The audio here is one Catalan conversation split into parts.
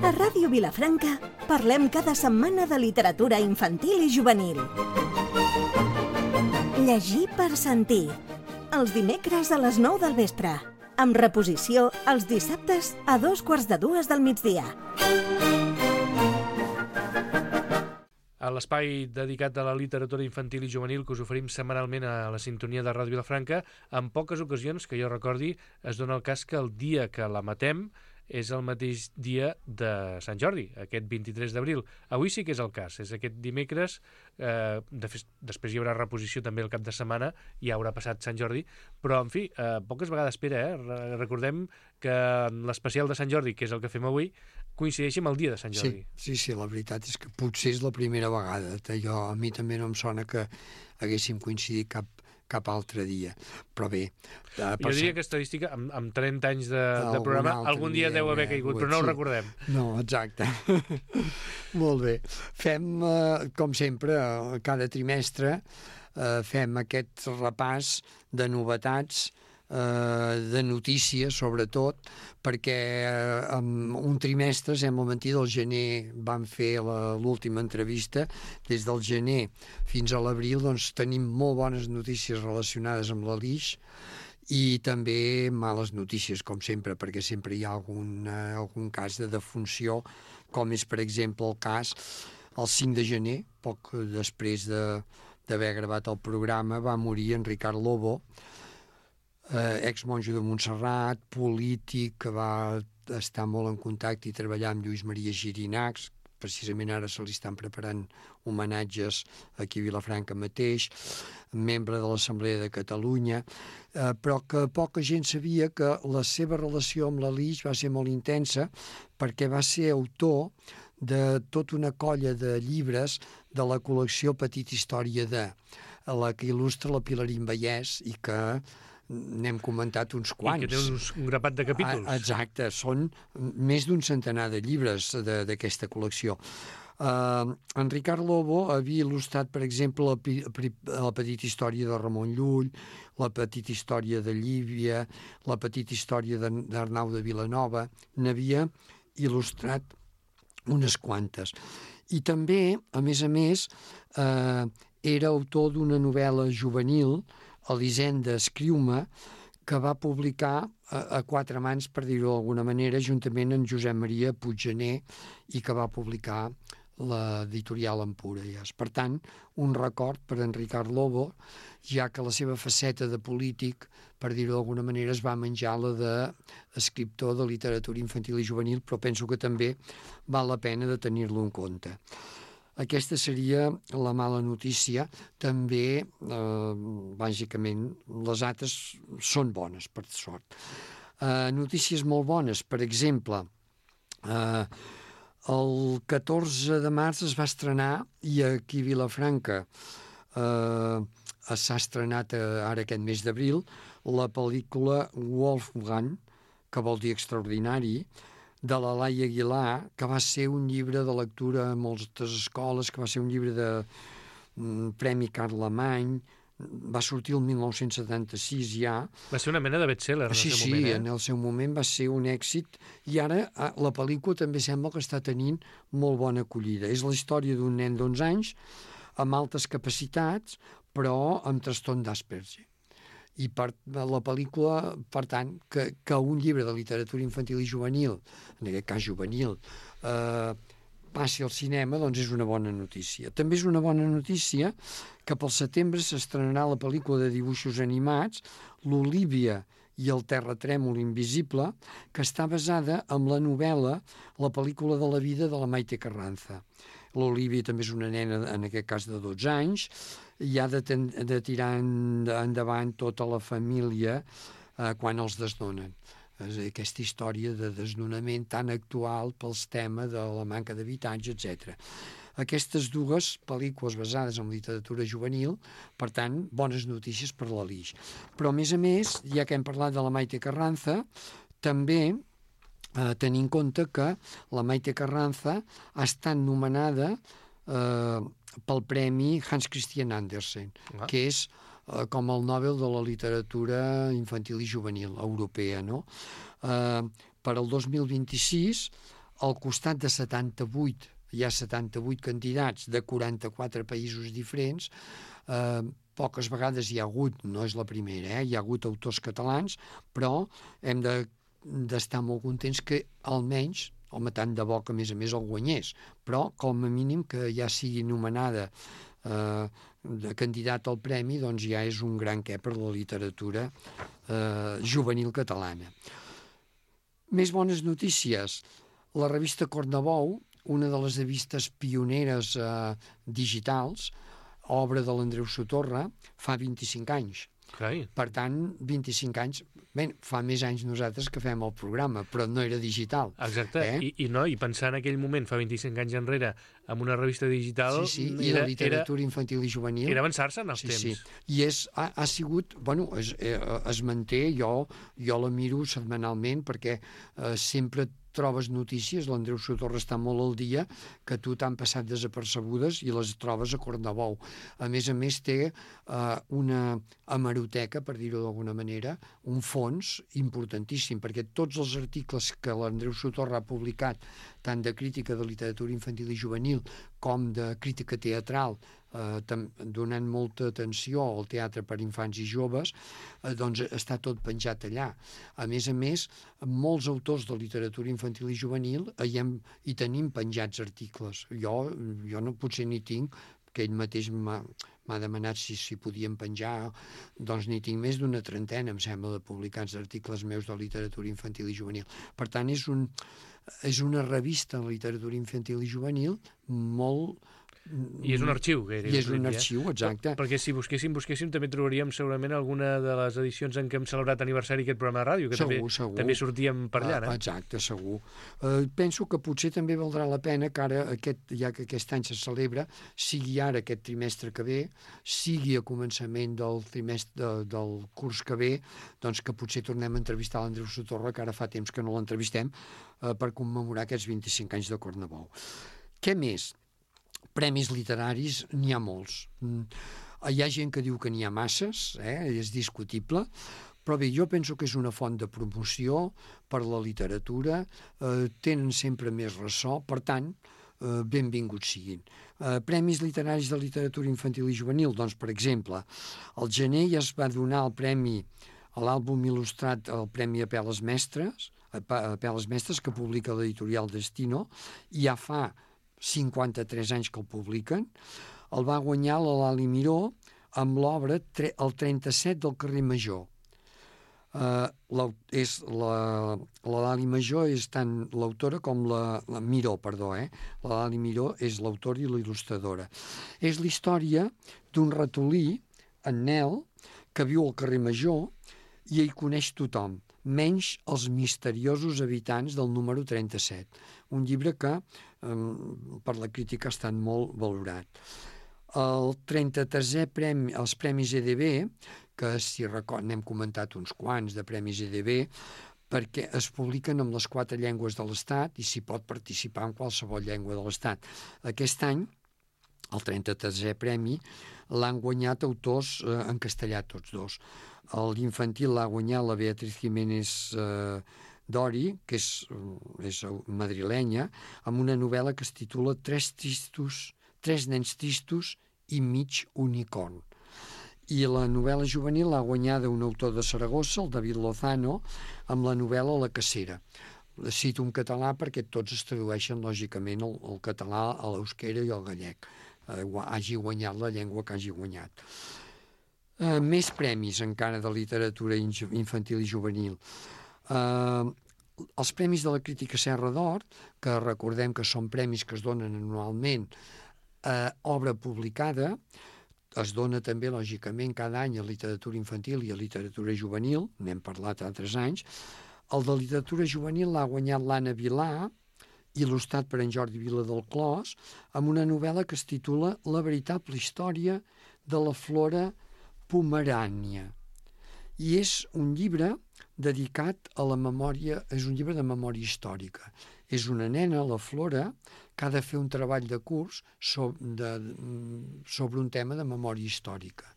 A Ràdio Vilafranca parlem cada setmana de literatura infantil i juvenil. Llegir per sentir. Els dimecres a les 9 del vespre. Amb reposició els dissabtes a 2:45 del migdia. A l'espai dedicat a la literatura infantil i juvenil que us oferim setmanalment a la sintonia de Ràdio Vilafranca, en poques ocasions, que jo recordi, es dona el cas que el dia que la matem és el mateix dia de Sant Jordi, aquest 23 d'abril. Avui sí que és el cas, és aquest dimecres, després hi haurà reposició també el cap de setmana, ja haurà passat Sant Jordi, però, en fi, poques vegades espera, Recordem que l'especial de Sant Jordi, que és el que fem avui, coincideixi amb el dia de Sant Jordi. Sí, la veritat és que potser és la primera vegada. A mi també no em sona que haguéssim coincidit cap altre dia, però bé... Jo diria que estadística, amb 30 anys de programa, algun dia deu haver caigut, però no ho recordem. No, exacte. Molt bé. Fem, com sempre, cada trimestre, fem aquest repàs de novetats, de notícies, sobretot, perquè en un trimestre, sembla mentida, al gener vam fer l'última entrevista. Des del gener fins a l'abril doncs, tenim molt bones notícies relacionades amb l'Alix i també males notícies, com sempre, perquè sempre hi ha algun cas de defunció, com és, per exemple, el cas el 5 de gener, poc després d'haver gravat el programa, va morir en Ricard Lobo, exmonjo de Montserrat, polític, que va estar molt en contacte i treballar amb Lluís Maria Girinachs. Precisament ara se li estan preparant homenatges aquí a Vilafranca mateix, membre de l'Assemblea de Catalunya, però que poca gent sabia que la seva relació amb l'Alix va ser molt intensa, perquè va ser autor de tota una colla de llibres de la col·lecció Petita Història de, la que il·lustra la Pilarín Vallès i que n'hem comentat uns quants. I que té un grapat de capítols. Exacte, són més d'un centenar de llibres d'aquesta col·lecció. En Ricard Lobo havia il·lustrat, per exemple, la Petita Història de Ramon Llull, la Petita Història de Llívia, la Petita Història d'Arnau de Vilanova, n'havia il·lustrat unes quantes. I també, a més, era autor d'una novel·la juvenil, Elisenda, escriu-me, que va publicar a quatre mans, per dir-ho d'alguna manera, juntament amb Josep Maria Puiggener, i que va publicar l'editorial Empúries. Per tant, un record per en Ricard Lobo, ja que la seva faceta de polític, per dir-ho d'alguna manera, es va menjar la d'escriptor de literatura infantil i juvenil, però penso que també val la pena de tenir-lo en compte. Aquesta seria la mala notícia. També, bàsicament, les altres són bones, per sort. Notícies molt bones, per exemple, el 14 de març es va estrenar, i aquí a Vilafranca s'ha estrenat ara aquest mes d'abril, la pel·lícula Wolfgang, que vol dir extraordinari, de la Laia Aguilar, que va ser un llibre de lectura a moltes escoles, que va ser un llibre de Premi Carlemany, va sortir el 1976 ja. Va ser una mena de best-seller en el seu moment. Sí, en el seu moment va ser un èxit, i ara la pel·lícula també sembla que està tenint molt bona acollida. És la història d'un nen d'11 anys amb altes capacitats, però amb trastorn d'Asperger. I la pel·lícula, per tant, que un llibre de literatura infantil i juvenil, en aquest cas juvenil, passi al cinema, doncs és una bona notícia. També és una bona notícia que pel setembre s'estrenarà la pel·lícula de dibuixos animats, l'Olívia i el terratrèmol invisible, que està basada en la novel·la La pel·lícula de la vida de la Maite Carranza. L'Olívia també és una nena, en aquest cas de 12 anys, i ha de tirar endavant tota la família quan els desnonen. Aquesta història de desnonament tan actual pels temes de la manca d'habitatge, etc. Aquestes dues pel·lícules basades en literatura juvenil, per tant, bones notícies per l'Alix. Però, a més, ja que hem parlat de la Maite Carranza, també tenir en compte que la Maite Carranza ha estat nomenada pel Premi Hans Christian Andersen, que és com el Nobel de la literatura infantil i juvenil europea, no? Per al 2026, al costat de 78, hi ha 78 candidats de 44 països diferents, poques vegades hi ha hagut, no és la primera, hi ha hagut autors catalans, però hem d'estar molt contents que almenys, home, tant de bo que a més el guanyés, però com a mínim que ja sigui nomenada de candidat al premi, doncs ja és un gran què per la literatura juvenil catalana. Més bones notícies. La revista Cornebou, una de les revistes pioneres digitals, obra de l'Andreu Sotorra, fa 25 anys. Carai. Per tant, 25 anys... Bé, fa més anys nosaltres que fem el programa, però no era digital. Exacte, I pensar en aquell moment, fa 25 anys enrere, amb una revista digital... Sí, i la literatura infantil i juvenil... Era avançar-se en els temps. Sí. I ha sigut... Bueno, es manté, jo la miro setmanalment perquè sempre trobes notícies, l'Andreu Sotorra està molt al dia, que tu t'han passat desapercebudes i les trobes a Cornebou. A més, té una hemeroteca, per dir-ho d'alguna manera, un fons importantíssim, perquè tots els articles que l'Andreu Sotorra ha publicat, tant de crítica de literatura infantil i juvenil com de crítica teatral, donant molta atenció al teatre per infants i joves, doncs està tot penjat allà. A més, molts autors de literatura infantil i juvenil hi tenim penjats articles. Jo potser n'hi tinc, que ell mateix m'ha demanat si podíem penjar, doncs n'hi tinc més d'una trentena, em sembla, de publicats articles meus de literatura infantil i juvenil. Per tant, és una revista de literatura infantil i juvenil molt... I és un arxiu. I és un arxiu, exacte. Perquè si busquéssim, també trobaríem segurament alguna de les edicions en què hem celebrat aniversari aquest programa de ràdio, que segur. També sortíem per allà, no? Exacte, segur. Penso que potser també valdrà la pena que ara, ja que aquest any se celebra, sigui ara aquest trimestre que ve, sigui a començament del trimestre del curs que ve, doncs que potser tornem a entrevistar l'Andreu Sotorra, que ara fa temps que no l'entrevistem, per commemorar aquests 25 anys de Cornebou. Què més? Premis literaris n'hi ha molts. Hi ha gent que diu que n'hi ha masses, és discutible, però bé, jo penso que és una font de promoció per la literatura, tenen sempre més ressò, per tant, benvinguts siguin. Premis literaris de literatura infantil i juvenil, doncs, per exemple, al gener ja es va donar el premi a l'àlbum il·lustrat, el Premi Apel·les Mestres, que publica l'editorial Destino, i ja fa 53 anys que el publiquen. El va guanyar la Lali Miró amb l'obra El 37 del carrer Major. La Lali Major és tant l'autora com la Miró, perdó. La Lali Miró és l'autora i la il·lustradora. És la història d'un ratolí, en Nel, que viu al carrer Major i hi coneix tothom, menys els misteriosos habitants del número 37. Un llibre que per la crítica ha estat molt valorat. El 33è premi, els Premis EDB, que si recorden n'hem comentat uns quants de Premis EDB, perquè es publiquen amb les 4 llengües de l'Estat i s'hi pot participar en qualsevol llengua de l'Estat. Aquest any, el 33è premi, l'han guanyat autors en castellà tots dos. L'infantil l'ha guanyat la Beatriz Jiménez Dori, que és madrilenya, amb una novel·la que es titula Tres nens tristos i mig unicorn. I la novel·la juvenil l'ha guanyada un autor de Saragossa, el David Lozano, amb la novel·la La cacera. Cito en català perquè tots es tradueixen, lògicament, el català, a l'euskera i al gallec. Hagi guanyat la llengua que hagi guanyat. Més premis encara de literatura infantil i juvenil. Els Premis de la Crítica Serra d'Or, que recordem que són premis que es donen anualment a obra publicada, es dona també, lògicament, cada any a literatura infantil i a literatura juvenil, n'hem parlat altres anys. El de literatura juvenil l'ha guanyat l'Anna Vilà, il·lustrat per en Jordi Vila del Clos, amb una novel·la que es titula La veritable història de la flora pomerània. I és un llibre dedicat a la memòria, és un llibre de memòria històrica. És una nena, la Flora, que ha de fer un treball de curs sobre un tema de memòria històrica.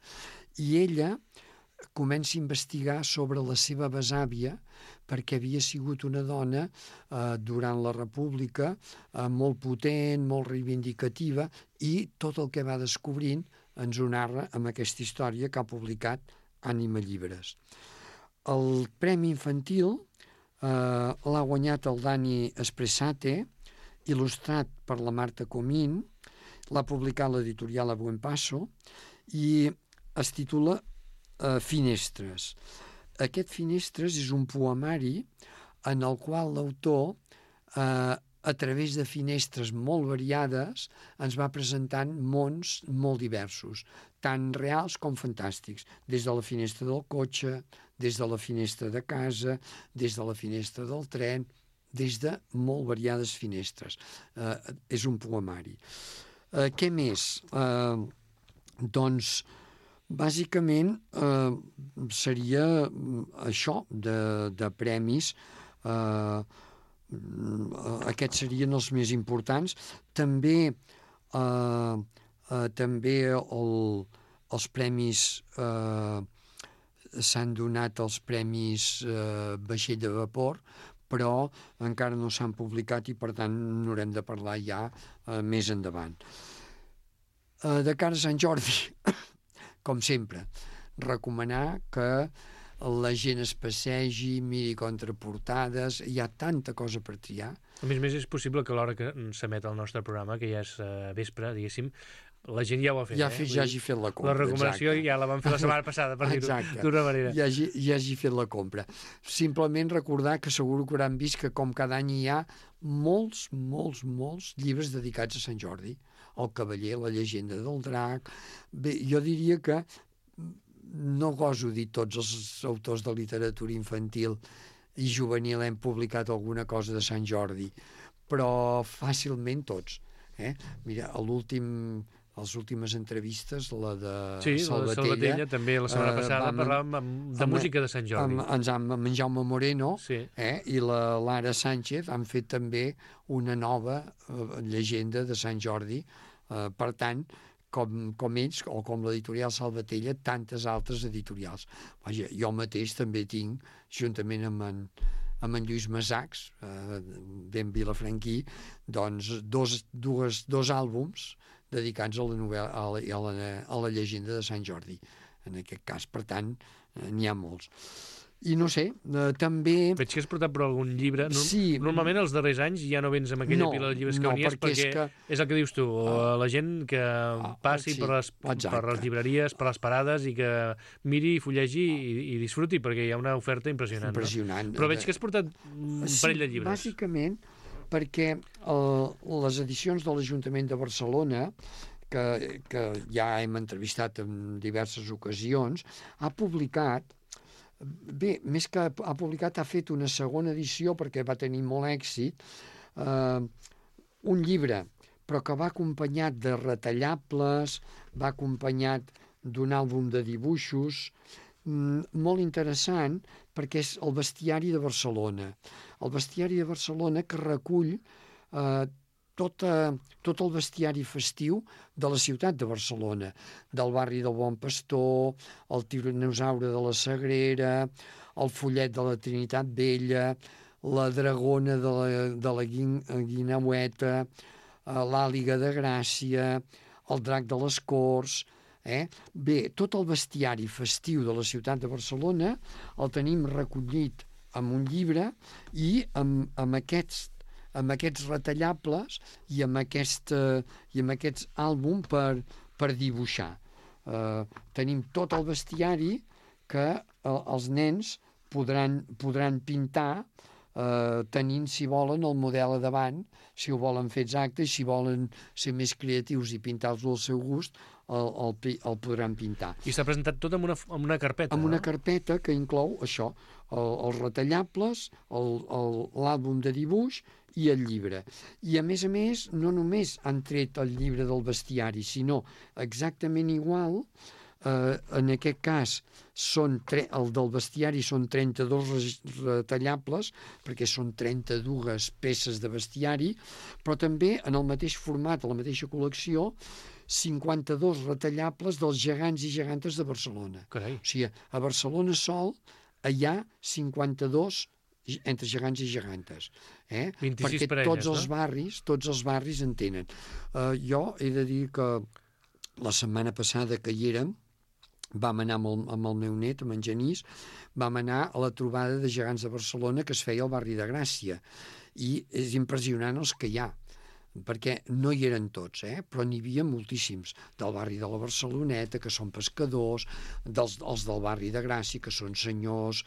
I ella comença a investigar sobre la seva besàvia perquè havia sigut una dona durant la República molt potent, molt reivindicativa, i tot el que va descobrint ens ho narra amb aquesta història que ha publicat Ànima Llibres. El Premi Infantil l'ha guanyat el Dani Espressate, il·lustrat per la Marta Comín, l'ha publicat l'editorial A Buen Paso i es titula Finestres. Aquest Finestres és un poemari en el qual l'autor, a través de finestres molt variades, ens va presentant mons molt diversos, tant reals com fantàstics, des de la finestra del cotxe, des de la finestra de casa, des de la finestra del tren, des de molt variades finestres. És un poemari. Què més? Doncs, bàsicament, seria això de premis. Aquests serien els més importants. També els premis s'han donat els premis vaixell de vapor, però encara no s'han publicat i per tant n'haurem de parlar ja més endavant. De cara a Sant Jordi, com sempre, recomanar que la gent es passegi, miri contraportades, hi ha tanta cosa per triar. A més, és possible que a l'hora que s'emet el nostre programa, que ja és vespre, diguéssim, la gent ja ho ha fet. Ja hagi fet la compra. La recomanació ja la vam fer la setmana passada, per dir-ho d'una manera. Ja hagi fet la compra. Simplement recordar que segur que hauran vist que com cada any hi ha molts llibres dedicats a Sant Jordi. El Cavaller, la llegenda del drac. Bé, jo diria que no goso dir tots els autors de literatura infantil i juvenil hem publicat alguna cosa de Sant Jordi, però fàcilment tots. Mira, les últimes entrevistes, la de Salvatella, també la setmana passada parlàvem de música de Sant Jordi. Amb en Jaume Moreno i la Lara Sánchez han fet també una nova llegenda de Sant Jordi. Per tant, com ells, o com l'editorial Salvatella, tantes altres editorials. Vaja, jo mateix també tinc, juntament amb en Lluís Massacs, ben vilafranquí, doncs dos àlbums dedicats a la novel·la, a la llegenda de Sant Jordi, en aquest cas. Per tant, n'hi ha molts. I no sé, també... Veig que has portat per algun llibre. Sí. Normalment els darrers anys ja no vens amb aquella pila de llibres que venies, perquè és el que dius tu, la gent que passi per les llibreries, per les parades, i que miri, fullegi i disfruti, perquè hi ha una oferta impressionant. Impressionant. Però veig que has portat un parell de llibres. Bàsicament perquè les edicions de l'Ajuntament de Barcelona, que ja hem entrevistat en diverses ocasions, ha publicat... Bé, més que ha publicat, ha fet una segona edició, perquè va tenir molt èxit, un llibre, però que va acompanyat de retallables, va acompanyat d'un àlbum de dibuixos, molt interessant, perquè és el bestiari de Barcelona. El bestiari de Barcelona que recull tot el bestiari festiu de la ciutat de Barcelona, del barri del Bon Pastor, el tiranosaure de la Sagrera, el follet de la Trinitat Vella, la dragona de la Guineueta, l'àliga de Gràcia, el drac de les Corts... Bé, tot el bestiari festiu de la ciutat de Barcelona el tenim recollit en un llibre i amb aquests retallables i amb aquests àlbums per dibuixar. Tenim tot el bestiari que els nens podran pintar, tenint, si volen, el model a davant, si ho volen fer exacte, i si volen ser més creatius i pintar-lo al seu gust, el podran pintar. I s'ha presentat tot amb una carpeta. Amb una carpeta que inclou això, els retallables, l'àlbum de dibuix i el llibre. I a més, no només han tret el llibre del bestiari, sinó exactament igual, en aquest cas el del bestiari són 32 retallables, perquè són 32 peces de bestiari, però també en el mateix format, a la mateixa col·lecció, 52 retallables dels gegants i gegantes de Barcelona. Carai. O sigui, a Barcelona sol hi ha 52 entre gegants i gegantes. 26 perquè parelles, tots els barris en tenen. Jo he de dir que la setmana passada que hi érem, vam anar amb el meu net, amb en Genís, vam anar a la trobada de gegants de Barcelona que es feia al barri de Gràcia. I és impressionant els que hi ha, perquè no hi eren tots, però n'hi havia moltíssims, del barri de la Barceloneta, que són pescadors, els del barri de Gràcia, que són senyors,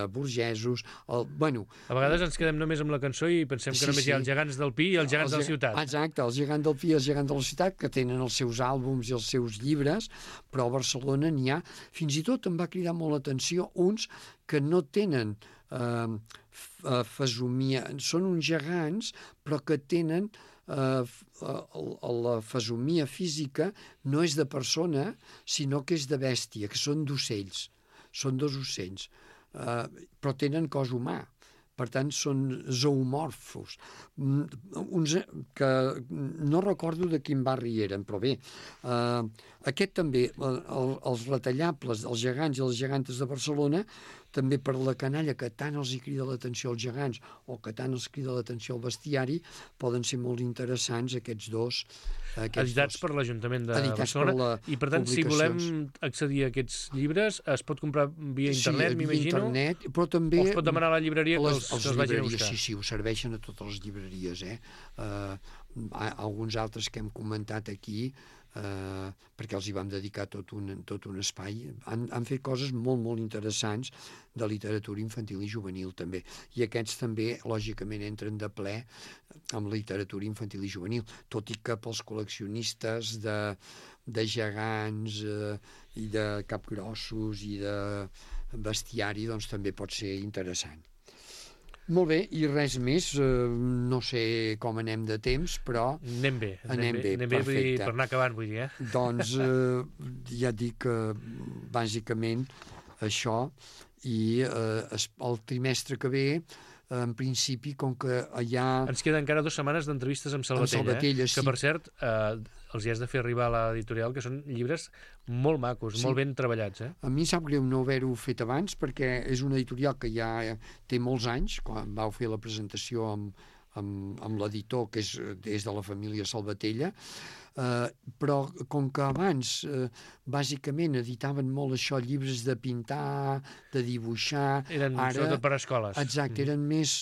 burgesos... A vegades ens quedem només amb la cançó i pensem que només hi ha els gegants del Pi i els gegants de la ciutat. Exacte, els gegants del Pi i els gegants de la ciutat, que tenen els seus àlbums i els seus llibres, però a Barcelona n'hi ha... Fins i tot em va cridar molt l'atenció uns que no tenen fesomia, són uns gegants, però que tenen... la fesomia física no és de persona, sinó que és de bèstia, que són d'ocells. Són 2 ocells, però tenen cos humà. Per tant, són zoomorfos. Uns que no recordo de quin barri eren, però bé, aquest també, els retallables dels gegants i les gegantes de Barcelona, també per la canalla que tant els hi crida l'atenció als gegants o que tant els crida l'atenció al bestiari, poden ser molt interessants aquests dos. Editats per l'Ajuntament de Barcelona. I per tant, si volem accedir a aquests llibres, es pot comprar via internet, m'imagino? Sí, via internet, però també... O es pot demanar a la llibreria que els vagin a buscar? Sí, ho serveixen a totes les llibreries. Alguns altres que hem comentat aquí, perquè els hi vam dedicar tot un espai, han fet coses molt, molt interessants de literatura infantil i juvenil, també. I aquests també, lògicament, entren de ple amb literatura infantil i juvenil, tot i que pels col·leccionistes de gegants i de capgrossos i de bestiari, doncs també pot ser interessant. Molt bé, i res més, no sé com anem de temps, però... Anem bé, perfecte. Per anar acabant, vull dir, Doncs ja et dic bàsicament això, i el trimestre que ve, en principi, com que hi ha... Ens queden encara 2 setmanes d'entrevistes amb Salvatella, sí. Que per cert, els hi has de fer arribar a l'editorial, que són llibres molt macos, molt ben treballats. A mi em sap greu no haver-ho fet abans, perquè és una editorial que ja té molts anys, quan vau fer la presentació amb l'editor, que és de la família Salvatella, però com que abans bàsicament editaven molt això, llibres de pintar, de dibuixar... Eren sobretot per a escoles. Exacte, eren més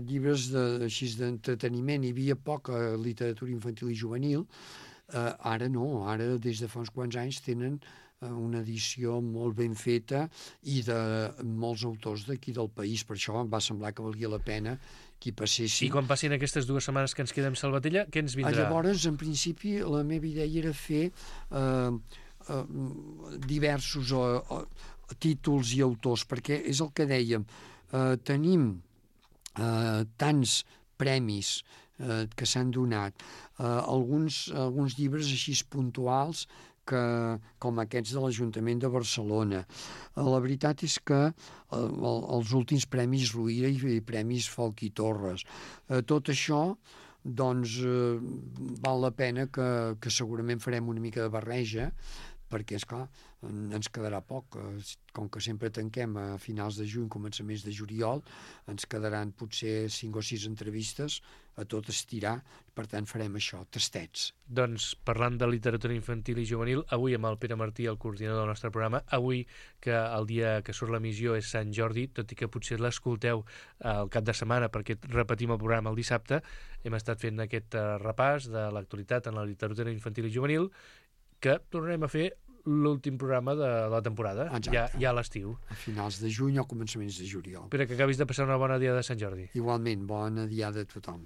llibres així d'entreteniment, hi havia poca literatura infantil i juvenil. Ara no, ara des de fa uns quants anys tenen una edició molt ben feta i de molts autors d'aquí del país. Per això em va semblar que valia la pena que hi passessin. I quan passin aquestes 2 setmanes que ens quedem a Salvatella, què ens vindrà? Llavors, en principi, la meva idea era fer diversos títols i autors, perquè és el que dèiem, tenim tants premis que s'han donat, alguns llibres així puntuals com aquests de l'Ajuntament de Barcelona. La veritat és que els últims premis Rovira i premis Folch i Torres, tot això doncs val la pena que segurament farem una mica de barreja, perquè, esclar, ens quedarà poc. Com que sempre tanquem a finals de juny, començaments de juliol, ens quedaran potser 5 o 6 entrevistes a tot estirar, per tant farem això, tastets. Doncs parlant de literatura infantil i juvenil, avui amb el Pere Martí, el coordinador del nostre programa, avui que el dia que surt l'emissió és Sant Jordi, tot i que potser l'escolteu el cap de setmana perquè repetim el programa el dissabte, hem estat fent aquest repàs de l'actualitat en la literatura infantil i juvenil, que tornarem a fer l'últim programa de la temporada, ja a l'estiu. A finals de juny o començaments de juliol. Espera que acabis de passar una bona dia de Sant Jordi. Igualment, bona dia de tothom.